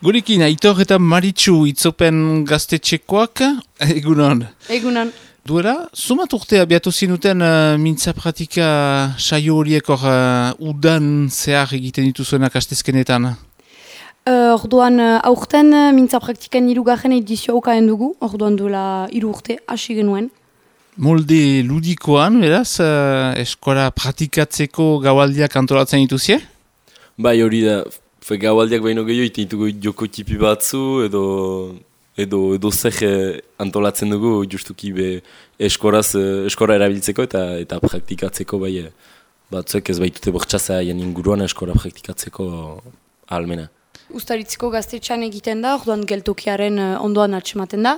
Gurekin, Aitor eta Maritxu itzopen gaztetxekoak, egunon. Egunon. Duela, zumat urte abiatu zinuten mintza pratika saio horiek udan zehar egiten dituzuenak astezkenetan? Orduan, aurten mintza praktikan hirugarren edizioa ukaen dugu, orduan duela 3 urte hasi genuen. Molde ludikoan, beraz, eskola pratikatzeko gaualdiak antolatzen dituzie? Bai, hori da, gaualdiak baino gehiago iteitugu joko tipi batzu edo zer antolatzen dugu justuki eskora erabiltzeko eta praktikatzeko bai batzuek ez baitute bortxaza inguruan eskora praktikatzeko ahalmena. Uztaritziko gaztetxean egiten da, orduan geltokiaren ondoan atxematen da.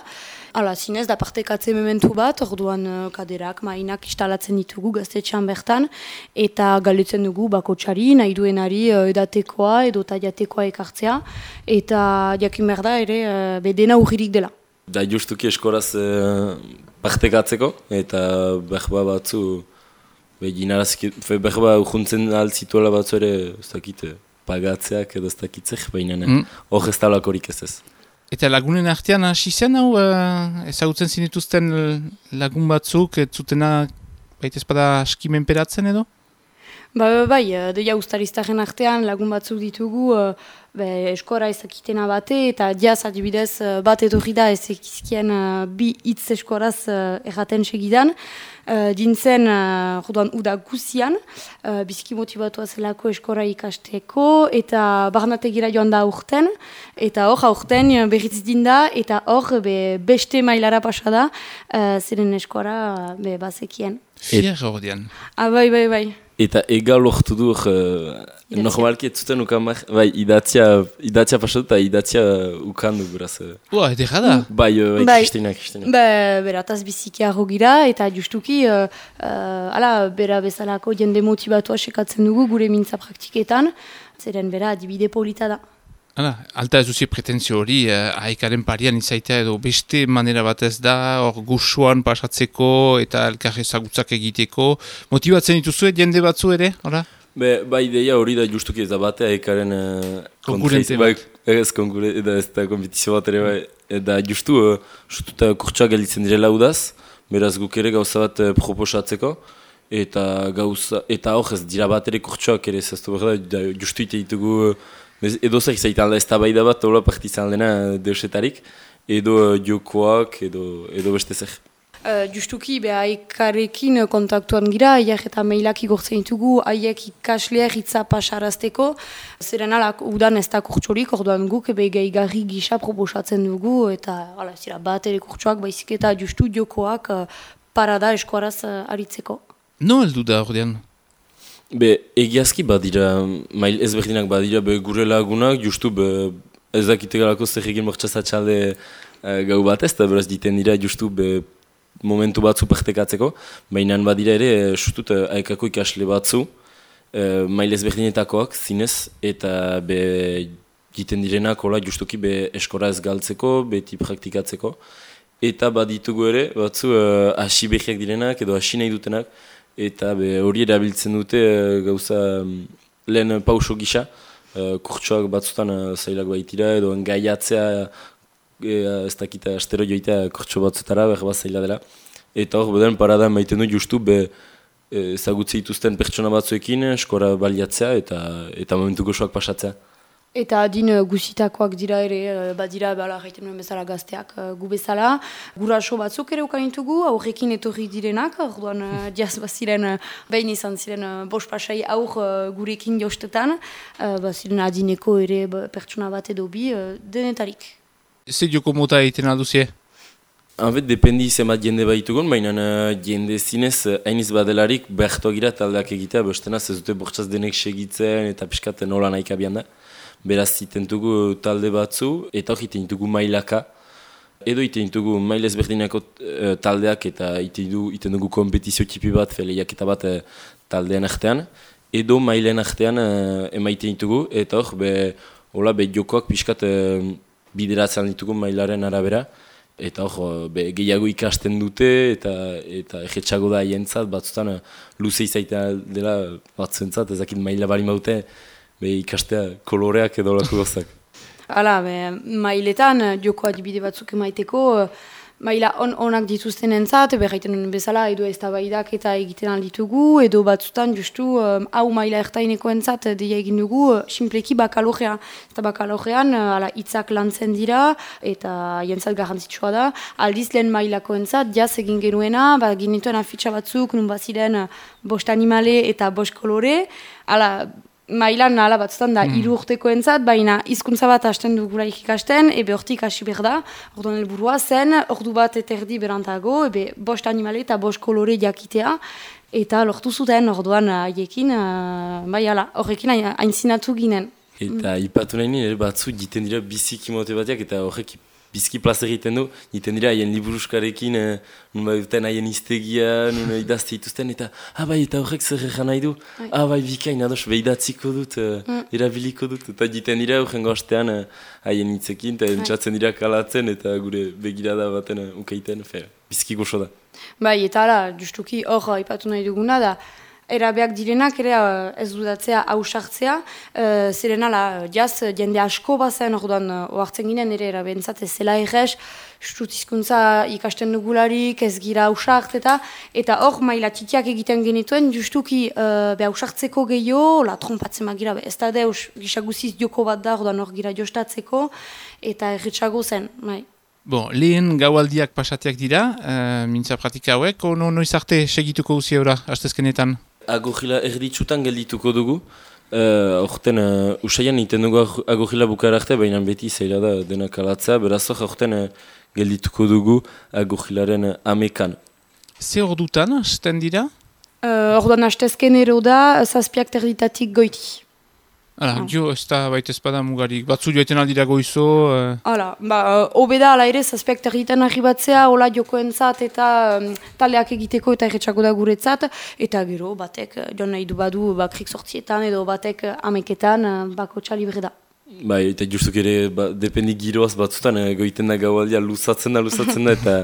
Hala, zinez da partekatze mementu bat, orduan kaderak, mainak instalatzen ditugu gaztetxean bertan, eta galdetzen dugu bakotxari, nahi duenari edatekoa edo taiatekoa ekartzea, eta jakin behar da ere bedena urririk dela. Da justuki eskoraz partekatzeko, eta berba batzu, berba urjuntzen altzituela batzu ere, ez dakit, pagatzeak edo ez dakitzek, baina hor ez talakorik ez ez. Eta lagunen artean hasi zen hau, ezagutzen zinituzten lagun batzuk, ez zutena baita ezpada aski menperatzen edo? Bai, deia ustariztaren artean lagun batzuk ditugu eskora ezakitena bate, eta diaz adibidez bat etorri da ezekizkien bi hitz eskoraz erraten segidan. Dintzen, jodan, uda guzian, biziki motibatua zelako eskora ikasteko, eta barnategira joan da aurten, eta hor aurten berriz dinda, eta hor beste mailara pasa da, ziren eskora bazekien. Fier ordean. Bai. Eta egal lortu du, normalki ez zuten ukan idatzia pasatu eta idatzia ukan du beraz. Edera da? Bai, Kristina. Berataz biziki arro gira, eta justuki, bera bezalako jende motibatua sekatzen dugu gure mintza praktiketan, zeren bera adibide polita da. Alta ez duzie pretenzio hori, haikaren parian izaitea edo beste manera batez da, hor gusuan pasatzeko eta elkar ezagutzak egiteko. Motibatzen dituzue jende batzu ere, ora? Bai, ideia hori da justuki ez da bate haikaren konkurente bat. Ez da kompetizio bat ere bai. Eta justu kurtsuak gelditzen direla udaz, beraz guk ere gauza bat proposatzeko. Eta hor ez dira bat ere kurtsuak ere zaztu behar da, justu ite ditugu edo zer izaitan da ez da bai da bat, hola partizan dena deusetarik, edo jokoak, edo beste zer. Justuki, haikarekin kontaktuan gira, haiek eta mailak igortzen ditugu, haiek ikasleak hitza pasarazteko, zeren alak udan ez da kurtsorik, orduan guk gehigarri gisa proposatzen dugu, eta zira bat ere kurtsoak, baizik eta justu jokoak parada eskoaraz aritzeko. No heldu da ordean? Egiazki badira, mail ezberdinak badira gure lagunak, justu ez dakitegalako zer egin mortxazatxalde gau bat ez, eta beraz diten dira justu momentu batzu partekatzeko, baina badira ere sustut haikako ikasle batzu, mail ezberdinetakoak zinez, eta diten direnak justuki eskora ez galtzeko, beti praktikatzeko, eta baditugu ere batzu hasi behiak direnak edo hasi nahi dutenak, eta hori erabiltzen dute gauza lehen pauso gisa, kurtsoak batzutan zailak baitira, edo engaiatzea ez dakita astero joitea kurtso batzutara, behar bat zaila dela. Eta hor, beden parada maiten du justu ezagutze dituzten pertsona batzuekin, eskora baliatzea eta momentu gozoak pasatzea. Eta adin guzitakoak dira ere, badira, gaiten nuen bezala gazteak gu bezala. Guraso batzuk ere ukaintugu, aurrekin etorri direnak, orduan diaz baziren, behin izan ziren bost pasai aur gurekin jostetan, baziren adineko ere pertsona bat edo bi denetarik. Zer joko mota egiten alduzie? Dependi zemat jende baitugun, baina jende zinez hainiz badelarik behartuak gira taldeak egitea, bestenaz ez dute bortzaz denek segitzen eta piskaten nola nahik abian da. Beraz, itentugu talde batzu, eta hori itentugu mailaka. Edo itentugu mail ezberdinako taldeak eta itentugu kompetizio tipi bat, lehiaketa bat taldean artean. Edo mailen artean emaiten ditugu, eta hor, jokoak piskat bideratzen ditugu mailaren arabera. Eta hor, gehiago ikasten dute, eta egetxago da haientzat, batzutan luze izaitea dela batzuentzat, ezakit maila bari maute, ikastea koloreak edo lako gozak. Hala, mailetan, joko adibide batzuk emaiteko, maila onak dituzten entzat, berraiten duen bezala, edo eztabaidak eta egiten alditugu, edo batzutan justu hau maila ertaineko entzat deia egin dugu, simpleki bakalorea. Eta bakalorean, hitzak lantzen dira, eta jentzat garrantzitsua da. Aldiz lehen mailako entzat, jaz egin genuena, ginituen afitxa batzuk, nun baziren 5 animale eta 5 kolore, mailan nahala batzutan da 3 urteko entzat, baina hizkuntza bat hasten dugula ikasten, hortik hasi behar da, orduan helburua zen, ordu bat eta erdi berantago, 5 animale eta 5 kolore jakitea, eta lortu zuten orduan haiekin, horrekin haintzinatu ginen. Eta ipatu nahi nire batzu jiten dira biziki mote bateak, eta horrek bizki plaza egiten du, jiten dira haien liburuskarekin, nun duten haien iztegia, nun idazte dituzten, eta eta horrek zer egan nahi du, bikain, ados, behidatziko dut, erabiliko dut, eta jiten dira horren gostean haien hitzekin, eta entzatzen dira kalatzen, eta gure begirada baten ukaiten, bizki goxo da. Eta justuki hor ipatu nahi duguna da, erabeak direnak ere ez dudatzea hausartzea, ziren jaz jende asko bazen orduan ohartzen ginen ere erabentzat ez zela errez, hizkuntza ikasten dugularik ez gira hausart eta hor maila txitiak egiten genituen justuki hausartzeko gehiago, trompatzen magira, ez da deus gisaguziz joko bat da orduan hor gira jostatzeko eta erritxago zen, bai. Lehen gaualdiak pasateak dira, mintza pratika hauek, noiz arte segituko guzia eura, hastezkenetan? Agogila erditsutan geldituko dugu. Horten, usaian iten dugu agogila bukara arte, baina beti zaila da denak alatzea. Beraz horten geldituko dugu agogilaren amekan. Ze ordutan, hasten dira? Orduan hastezken ero da, 7 erditatik goiti. Jo, ez da baita espada mugarik. Batzu joeten aldira goizo... Obeda ala ere, 7 egiten arribatzea, hola jokoentzat eta taldeak egiteko eta erretxako da guretzat, eta gero batek joan nahi du badu krik sortzietan edo batek ameketan bako txalibre da. Eta justuk ere, dependik giroaz batzutan, goiten da gaualdia luzatzen da,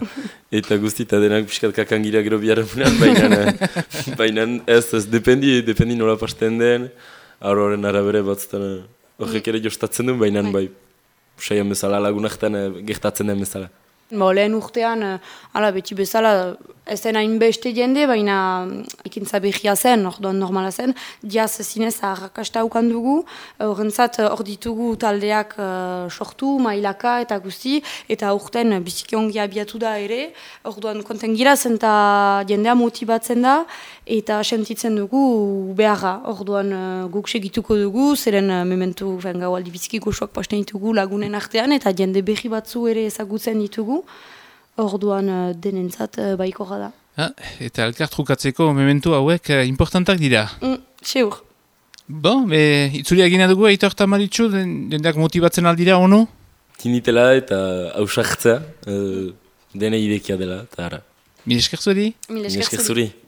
eta guzti, eta denak piskat kakangira gero biharremunan, baina ez dependi nola pasten den, horren arabere batzutan horrek ere jostatzen duen, baina saian bezala lagunaktan gertatzen den bezala. Lehen urtean, beti bezala, ez den hainbeste jende, baina ekintza behia zen, orduan normala zen, jaz zinez arrakasta haukan dugu, horrentzat hor ditugu taldeak sortu, mailaka eta guzti, eta urten biziki ongi abiatu da ere, orduan konten gira zen eta jendea motibatzen da, eta sentitzen dugu beharra, orduan guk segituko dugu, zeren mementu gaualdi biziki goxoak pasten ditugu lagunen artean, eta jende behi batzu ere ezagutzen ditugu, orduan denentzat baiko da. Eta elkartrukatzeko mementu hauek importantak dira. Seur. Itzulia gina dugu, Aitor eta Maritxu, dendak motibatzen aldira, ono? Tinitela eta hausartzea, dene idekia dela, eta ara. Mil esker zuri? Mil esker zuri.